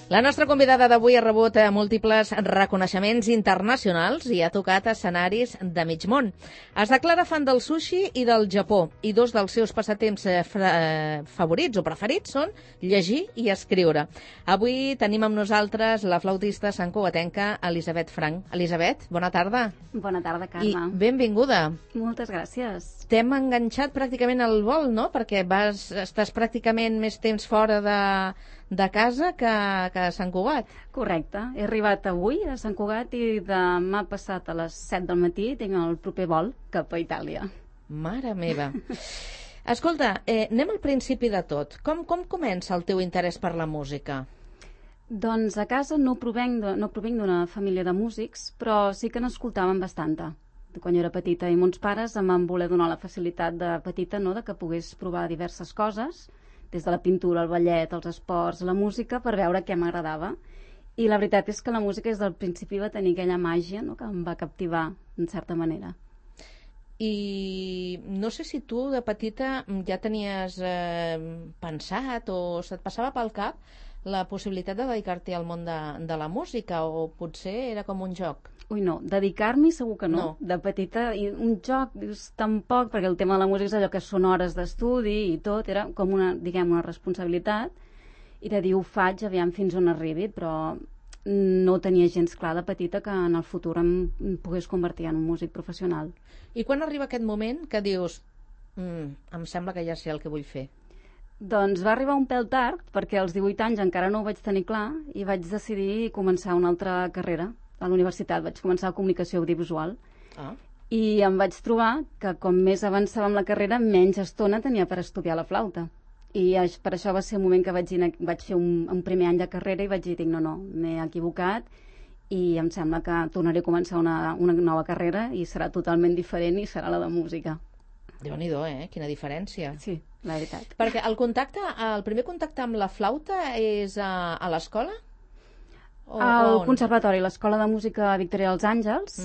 La nostra convidada d'avui ha rebut múltiples reconeixements internacionals i ha tocat escenaris de mig món. Es declara fan del sushi i del Japó, i dos dels seus passatemps favorits o preferits són llegir i escriure. Avui tenim amb nosaltres la flautista santcugatenca Elisabet Franch. Elisabet, bona tarda. Bona tarda, Carme. I benvinguda. Moltes gràcies. T'hem enganxat pràcticament al vol, no? Perquè estàs pràcticament més temps fora de casa que a Sant Cugat. Correcte. He arribat avui a Sant Cugat i demà passat a les 7 del matí tinc el proper vol cap a Itàlia. Mare meva. Escolta, anem al principi de tot. Com comença el teu interès per la música? Doncs a casa no provenc d'una família de músics, però sí que n'escoltàvem bastanta. Quan jo era petita i mons pares em van voler donar la facilitat de petita, no?, de que pogués provar diverses coses, des de la pintura, el ballet, els esports, la música, per veure què m'agradava. I la veritat és que la música des del principi va tenir aquella màgia, no?, que em va captivar, en certa manera. I no sé si tu de petita ja tenies pensat o se't passava pel cap la possibilitat de dedicar-te al món de la música, o potser era com un joc? Ui, no, dedicar-m'hi segur que no. De petita, i un joc, dius, tampoc, perquè el tema de la música és allò que són hores d'estudi i tot, era com una responsabilitat, i de dir, ho faig, aviam fins on arribi, però no tenia gens clar de petita que en el futur em pogués convertir en un músic professional. I quan arriba aquest moment que dius, em sembla que ja sé el que vull fer? Doncs va arribar un pèl tard, perquè als 18 anys encara no ho vaig tenir clar, i vaig decidir començar una altra carrera. A la universitat vaig començar comunicació audiovisual. I em vaig trobar que com més avançava amb la carrera, menys estona tenia per estudiar la flauta. I per això va ser el moment que vaig fer un primer any de carrera i vaig dir, no, m'he equivocat i em sembla que tornaré a començar una nova carrera i serà totalment diferent i serà la de música. Déu-n'hi-do, quina diferència. Sí, la veritat. Perquè el primer contacte amb la flauta és a l'escola? Al conservatori, l'Escola de Música Victoria dels Àngels.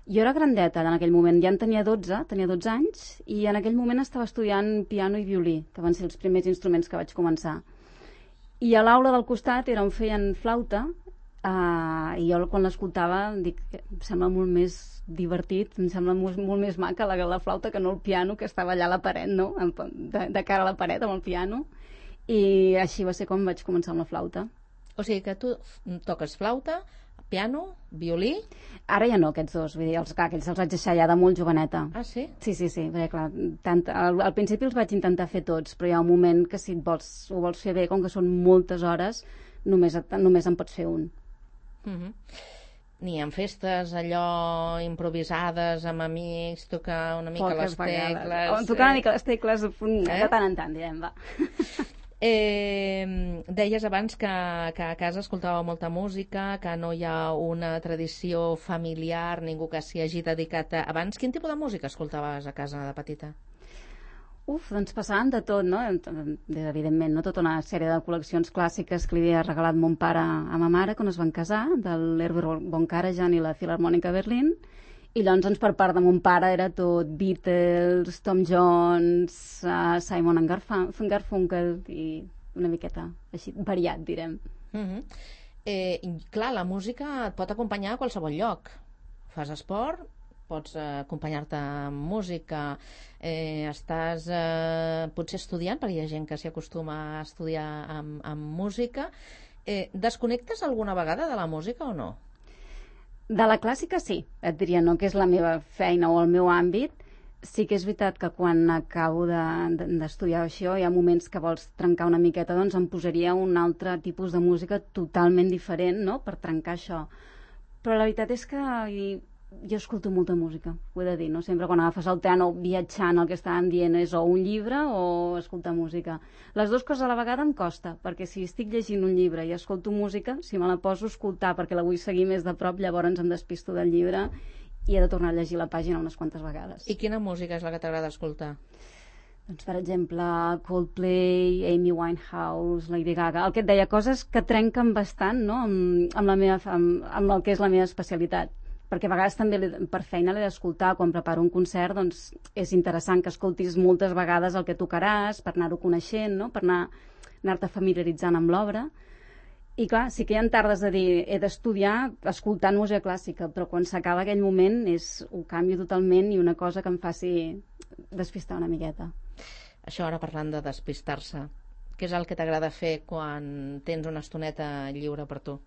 Jo era grandeta en aquell moment, ja en tenia 12 anys, i en aquell moment estava estudiant piano i violí, que van ser els primers instruments que vaig començar. I a l'aula del costat era on feien flauta, i jo quan l'escoltava dic, em sembla molt més divertit, em sembla molt més maca la flauta que no el piano, que estava allà a la paret, no?, de cara a la paret amb el piano, i així va ser com vaig començar amb la flauta. O sigui que tu toques flauta, piano, violí... Ara ja no, aquests dos, vull dir, aquells els vaig deixar ja de molt joveneta. Ah, sí? Sí, perquè clar, al principi els vaig intentar fer tots, però hi ha un moment que si ho vols fer bé, com que són moltes hores, només en pots fer un. Ni en festes allò improvisades amb amics, tocar una mica les tecles... Tocar una mica les tecles de tant en tant, direm, va. Deies abans que a casa escoltava molta música, que no hi ha una tradició familiar, ningú que s'hi hagi dedicat abans. Quin tipus de música escoltaves a casa de petita? Doncs passaven de tot, no? Evidentment, no? Tota una sèrie de col·leccions clàssiques que li havia regalat mon pare a ma mare quan es van casar, de l'Herbert von Karajan i la Filharmònica Berlín. I llavors per part de mon pare era tot Beatles, Tom Jones, Simon and Garfunkel i una miqueta així, variat, direm. Clar, la música et pot acompanyar a qualsevol lloc. Fas esport, pots acompanyar-te amb música, estàs potser estudiant, perquè hi ha gent que s'hi acostuma a estudiar amb música. Desconnectes alguna vegada de la música o no? De la clàssica sí, et diria, no que és la meva feina o el meu àmbit. Sí que és veritat que quan acabo d'estudiar això hi ha moments que vols trencar una miqueta, doncs em posaria un altre tipus de música totalment diferent, no?, per trencar això. Però la veritat és que jo escolto molta música, ho he de dir, no? Sempre quan agafes el tren o viatjant el que estàvem dient és o un llibre o escoltar música. Les dues coses a la vegada em costa, perquè si estic llegint un llibre i escolto música, si me la poso a escoltar perquè la vull seguir més de prop, llavors em despisto del llibre i he de tornar a llegir la pàgina unes quantes vegades. I quina música és la que t'agrada escoltar? Doncs, per exemple, Coldplay, Amy Winehouse, Lady Gaga, el que et deia, coses que trenquen bastant, no?, amb el que és la meva especialitat. Perquè a vegades també per feina l'he d'escoltar, quan preparo un concert, doncs és interessant que escoltis moltes vegades el que tocaràs, per anar-ho coneixent, no?, per anar-te familiaritzant amb l'obra. I clar, sí que hi ha tardes de dir he d'estudiar escoltant música clàssica, però quan s'acaba aquell moment ho canvio totalment i una cosa que em faci despistar una miqueta. Això ara parlant de despistar-se, què és el que t'agrada fer quan tens una estoneta lliure per tu?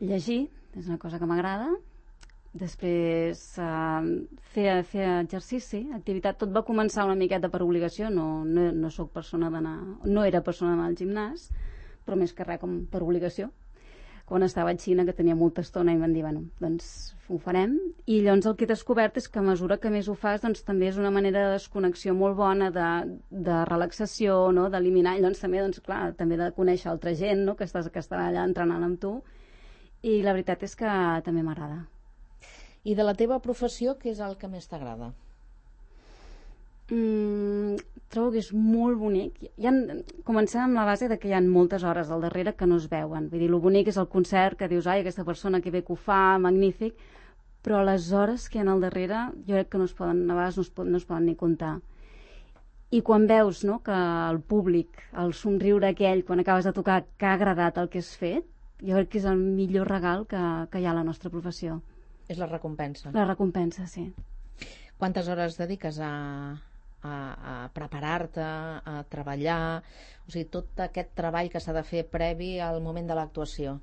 Llegir és una cosa que m'agrada. Després fer exercici, activitat. Tot va començar una miqueta per obligació, no soc persona d'anar, no era persona d'anar al gimnàs, però més que res com per obligació. Quan estava a Xina, que tenia molta estona, i em van dir, bueno, doncs ho farem. I llavors el que he descobert és que a mesura que més ho fas, doncs també és una manera de desconnexió molt bona, de relaxació, no? D'eliminar. I llavors també, doncs, clar, també de conèixer altra gent, no? que estarà allà entrenant amb tu. I la veritat és que també m'agrada. I de la teva professió, què és el que més t'agrada? Trobo que és molt bonic. Comencem amb la base de que hi ha moltes hores al darrere que no es veuen. Vull dir, el bonic és el concert, que dius, ai, aquesta persona que bé que ho fa, magnífic, però les hores que hi ha al darrere jo crec que a vegades no es poden ni comptar. I quan veus, no, que el públic, el somriure aquell, quan acabes de tocar, que ha agradat el que has fet, jo crec que és el millor regal que hi ha a la nostra professió. És la recompensa. La recompensa, sí. Quantes hores dediques a preparar-te, a treballar, o sigui, tot aquest treball que s'ha de fer previ al moment de l'actuació?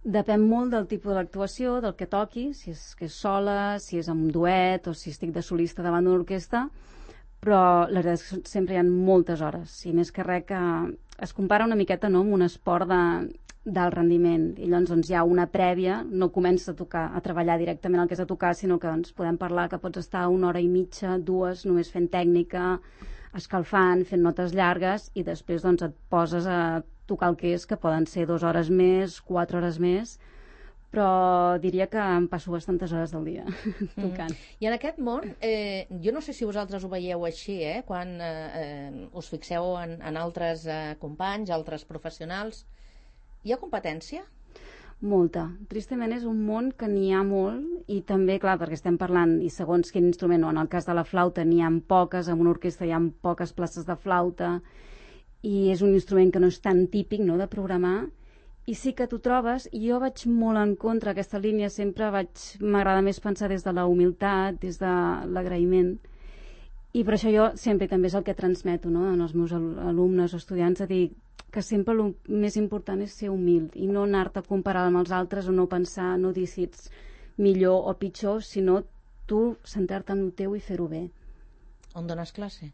Depèn molt del tipus de l'actuació, del que toqui, si és que és sola, si és amb duet o si estic de solista davant d'una orquestra, però la veritat és que sempre hi ha moltes hores, i més que res que es compara una miqueta, no, amb un esport d'alt rendiment, i llavors doncs, hi ha una prèvia, no comences a treballar directament el que has de tocar, sinó que doncs, podem parlar que pots estar 1 hora i mitja, 2, només fent tècnica, escalfant, fent notes llargues, i després doncs, et poses a tocar el que és, que poden ser 2 hores més, 4 hores més, però diria que em passo bastantes hores del dia tocant. I en aquest món, jo no sé si vosaltres ho veieu així, quan us fixeu en altres companys, altres professionals. Hi ha competència? Molta. Tristament és un món que n'hi ha molt, i també, clar, perquè estem parlant, i segons quin instrument, o en el cas de la flauta n'hi ha poques, en una orquestra hi ha poques places de flauta, i és un instrument que no és tan típic, no?, de programar, i sí que t'ho trobes, i jo vaig molt en contra aquesta línia, sempre m'agrada més pensar des de la humilitat, des de l'agraïment, i per això jo sempre també és el que transmeto, no?, als meus alumnes o estudiants, a dir que sempre el més important és ser humil i no anar-te a comparar amb els altres o no pensar, no dir si ets millor o pitjor, sinó tu centrar-te en el teu i fer-ho bé. On dones classe?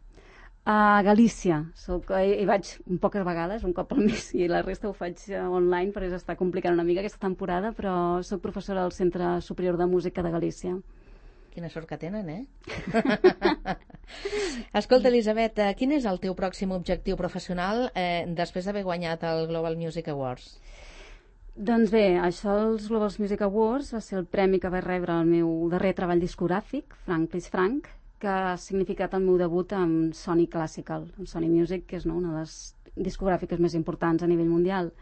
A Galícia. Hi vaig poques vegades, un cop al mes, i la resta ho faig online perquè s'està complicant una mica aquesta temporada, però soc professora del Centre Superior de Música de Galícia. Quina sort que tenen, Escolta, Elisabet, quin és el teu pròxim objectiu professional després d'haver guanyat el Global Music Awards? Doncs bé, això dels Global Music Awards va ser el premi que vaig rebre el meu darrer treball discogràfic, Frank Please Frank, que ha significat el meu debut amb Sony Classical, amb Sony Music, que és una de les discogràfiques més importants a nivell mundial.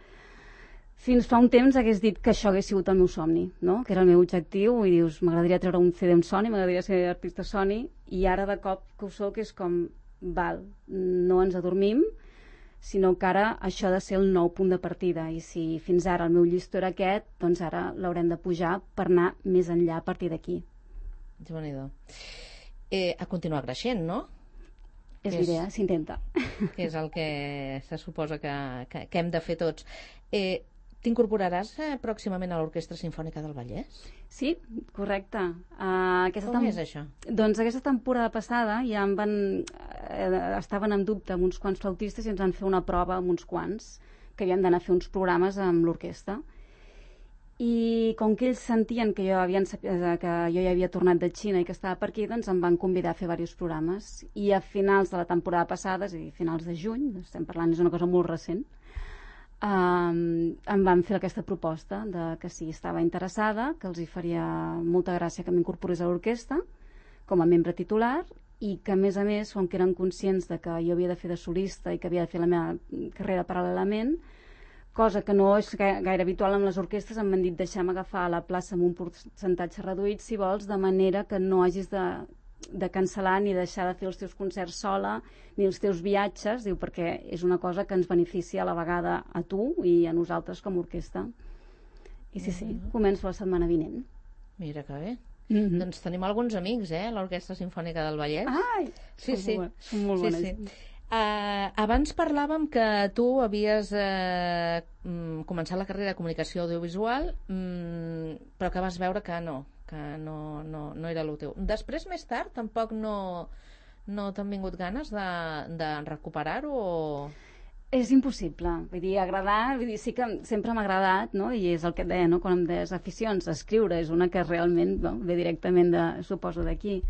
Fins fa un temps hagués dit que això hagués sigut el meu somni, no? Que era el meu objectiu, i dius, m'agradaria treure un CD amb Sony, m'agradaria ser artista Sony, i ara de cop que ho soc és com, val, no ens adormim, sinó que ara això ha de ser el nou punt de partida, i si fins ara el meu llistó era aquest, doncs ara l'haurem de pujar per anar més enllà a partir d'aquí. Déu-n'hi-do. A continuar creixent, no? És l'idea, s'intenta. Que és el que se suposa que hem de fer tots. T'incorporaràs pròximament a l'Orquestra Simfònica del Vallès? Sí, correcte. Com és això? Doncs aquesta temporada passada ja estaven en dubte amb uns quants flautistes i ens van fer una prova amb uns quants, que havíem d'anar a fer uns programes amb l'orquestra. I com que ells sentien que jo ja havia tornat de Xina i que estava per aquí, doncs em van convidar a fer diversos programes. I a finals de la temporada passada, és a dir, finals de juny, estem parlant, és una cosa molt recent, em van fer aquesta proposta de que si estava interessada, que els hi faria molta gràcia que m'incorporés a l'orquestra com a membre titular, i que a més, com que eren conscients de que jo havia de fer de solista i que havia de fer la meva carrera paral·lelament, cosa que no és gaire habitual amb les orquestres, em van dit deixa'm agafar la plaça amb un percentatge reduït, si vols, de manera que no hagis de de cancel·lar ni deixar de fer els teus concerts sola, ni els teus viatges, diu, perquè és una cosa que ens beneficia a la vegada a tu i a nosaltres com a orquestra. I sí, començo la setmana vinent. Mira que bé. Doncs tenim alguns amics, l'Orquestra Simfònica del Vallès. Ai! Sí. Són molt bones. Sí. Abans parlàvem que tu havies començat la carrera de comunicació audiovisual, però que vas veure que no era el teu. Després, més tard, tampoc no t'han vingut ganes de recuperar-ho o... És impossible, vull dir, agradar, sí que sempre m'ha agradat, no? I és el que et deia, no? Quan em deies aficions, escriure és una que realment ve directament, suposo, d'aquí.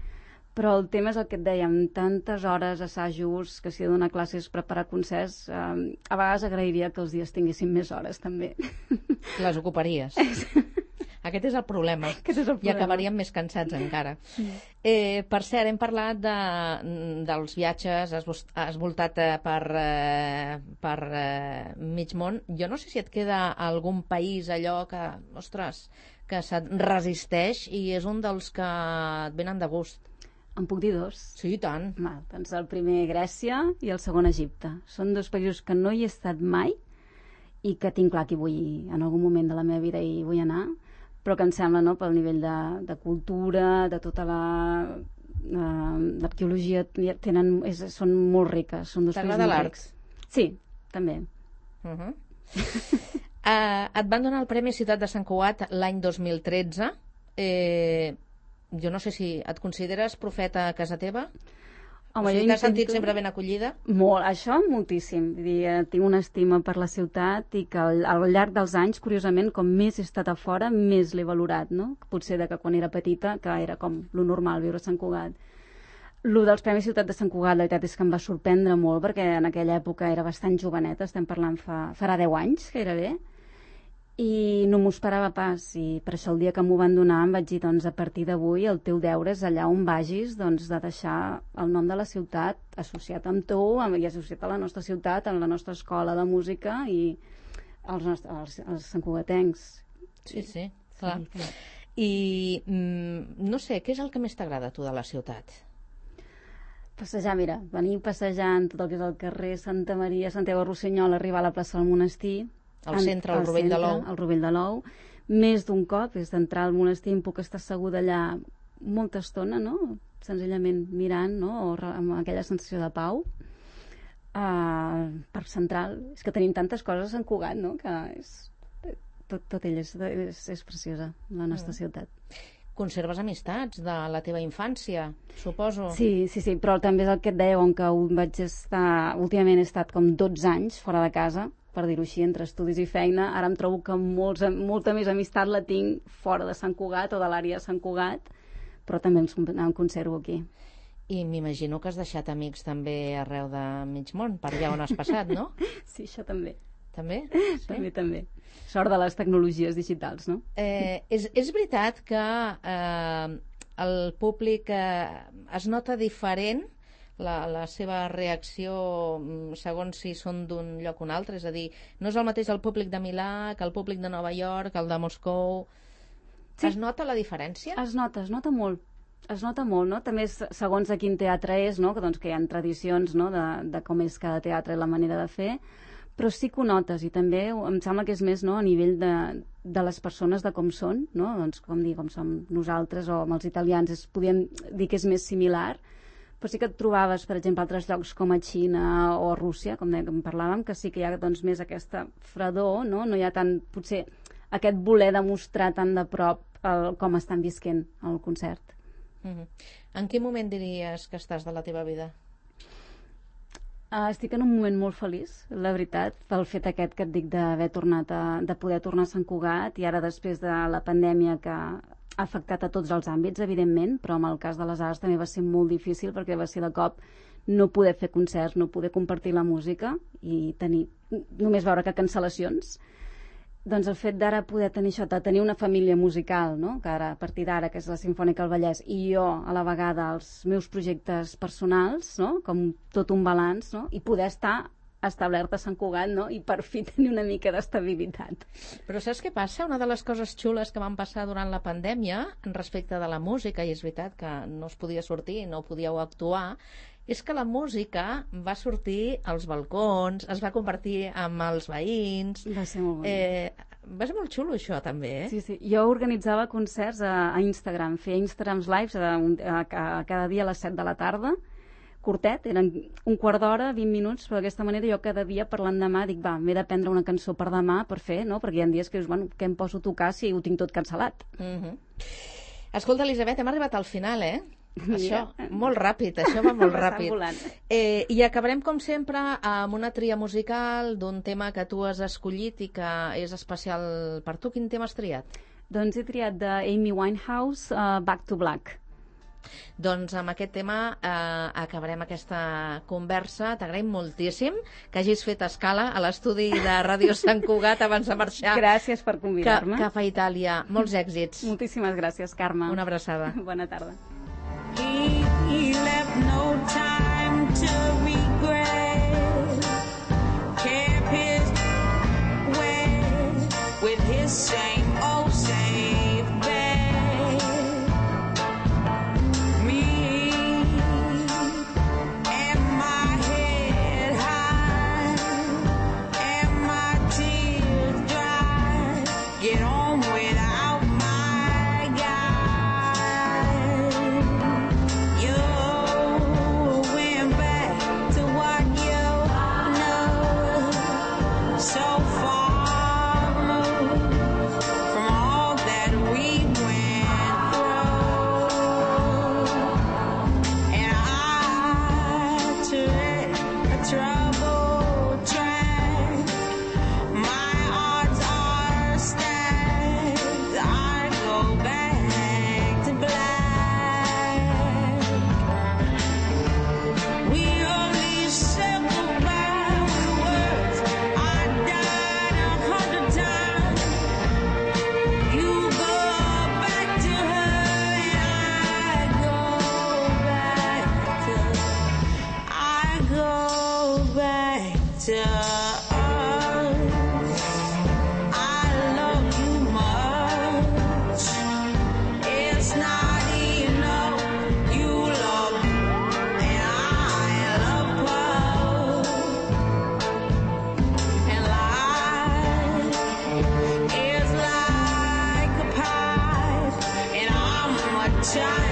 Però el tema és el que et deia, amb tantes hores, assajos, que si he de donar classes, preparar concerts, a vegades agrairia que els dies tinguessin més hores, també. Les ocuparies. Aquest és el problema. I acabaríem més cansats encara. Per cert, hem parlat dels viatges, has voltat per mig món. Jo no sé si et queda algun país allò que, ostres, que se't resisteix i és un dels que et venen de gust. En puc dir dos? Sí, i tant. Doncs el primer Grècia i el segon Egipte. Són dos països que no hi he estat mai i que tinc clar que hi vull, en algun moment de la meva vida hi vull anar, però que em sembla, no, pel nivell de cultura, de tota l'arqueologia, són molt riques. T'agrada l'art? Sí, també. Et van donar el Premi Ciutat de Sant Cugat l'any 2013. Jo no sé si et consideres profeta a casa teva? Home, t'has sentit sempre ben acollida? Molt, això moltíssim. Vull dir, tinc una estima per la ciutat i que al llarg dels anys, curiosament, com més he estat a fora, més l'he valorat, no? Potser de que quan era petita, que era com lo normal viure a Sant Cugat. Lo dels Premis Ciutat de Sant Cugat, la veritat és que em va sorprendre molt, perquè en aquella època era bastant joveneta, estem parlant farà 10 anys, gairebé, i no m'ho esperava pas, i per això el dia que m'ho van donar em vaig dir, doncs a partir d'avui el teu deure és allà on vagis, doncs de deixar el nom de la ciutat associat amb tu i associat a la nostra ciutat, a la nostra escola de música i als santcugatencs. Sí, clar. I no sé, què és el que més t'agrada a tu de la ciutat? Passejar, mira, venir passejant tot el que és el carrer Santa Maria, Santiago Rossinyol, arribar a la plaça del Monestir, al centre, al Rovell de l'Ou. Al Rovell de l'Ou. Més d'un cop, és d'entrar al monestir, em puc estar asseguda allà molta estona, no? Senzillament mirant, no? O amb aquella sensació de pau. Parc Central. És que tenim tantes coses a Sant Cugat, no? Que tot ell és preciosa, la nostra ciutat. Conserves amistats de la teva infància, suposo? Sí, però també és el que et deia, on que últimament he estat com 12 anys fora de casa, per dir-ho així, entre estudis i feina. Ara em trobo que molta més amistat la tinc fora de Sant Cugat o de l'àrea de Sant Cugat, però també em conservo aquí. I m'imagino que has deixat amics també arreu de mig món, per allà on has passat, no? Sí, això també. També? Sí? També. Sort de les tecnologies digitals, no? És veritat que el públic es nota diferent la seva reacció segons si són d'un lloc o un altre, és a dir, no és el mateix el públic de Milà que el públic de Nova York, el de Moscou. Sí. Es nota la diferència? Es nota molt. Es nota molt, no? També segons a quin teatre és, no? Que hi ha tradicions, no? de com és cada teatre i la manera de fer, però sí que ho notes, i també em sembla que és més, no? A nivell de les persones, de com són, no? Doncs com som nosaltres o amb els italians, podríem dir que és més similar, però sí que et trobaves, per exemple, altres llocs com a Xina o a Rússia, com parlàvem, que sí que hi ha doncs, més aquesta fredor, no? No hi ha tant, potser, aquest voler demostrar tan de prop com estan visquent el concert. En quin moment diries que estàs de la teva vida? Estic en un moment molt feliç, la veritat, pel fet aquest que et dic d'haver tornat de poder tornar a Sant Cugat, i ara després de la pandèmia que ha afectat a tots els àmbits, evidentment, però en el cas de les arts també va ser molt difícil perquè va ser de cop no poder fer concerts, no poder compartir la música i només veure que cancel·lacions. Doncs el fet d'ara poder tenir això, de tenir una família musical, no? Que ara, a partir d'ara, que és la Simfònica del Vallès, i jo, a la vegada, els meus projectes personals, no? Com tot un balanç, no? I poder estar establert a Sant Cugat, no? I per fi tenir una mica d'estabilitat. Però saps què passa? Una de les coses xules que van passar durant la pandèmia respecte de la música, i és veritat que no es podia sortir, no podíeu actuar, és que la música va sortir als balcons, es va compartir amb els veïns. Va ser molt bonic. Va ser molt xulo, això, també, eh? Sí, sí. Jo organitzava concerts a Instagram, feia Instagrams lives cada dia a les 7 de la tarda, curtet, eren un quart d'hora, 20 minuts, però d'aquesta manera jo cada dia per l'endemà dic, va, m'he de prendre una cançó per demà per fer, no? Perquè hi ha dies que dius, bueno, què em poso a tocar si ho tinc tot cancel·lat? Escolta, Elisabet, hem arribat al final, eh? Això, molt ràpid, això va molt ràpid. I acabarem, com sempre, amb una tria musical d'un tema que tu has escollit i que és especial per tu. Quin tema has triat? Doncs he triat d'Amy Winehouse, Back to Black. Doncs amb aquest tema acabarem aquesta conversa. T'agraïm moltíssim que hagis fet escala a l'estudi de Ràdio Sant Cugat abans de marxar. Gràcies per convidar-me. Cap a Itàlia. Molts èxits. Moltíssimes gràcies, Carme. Una abraçada. Bona tarda. He left no time to regret. Kept his way with his same old safe bet. Me and my head high and my tears dry. Get on without my guy. You went back to what you know, so far removed from all that we went through. And I tread a troubled track. My odds are stacked. I go back to black. We only said goodbye with words. I died 100 times. You go back to her and I go back to us. I love you much. It's not enough. You love and I love both. And life is like a pipe, and I'm a child.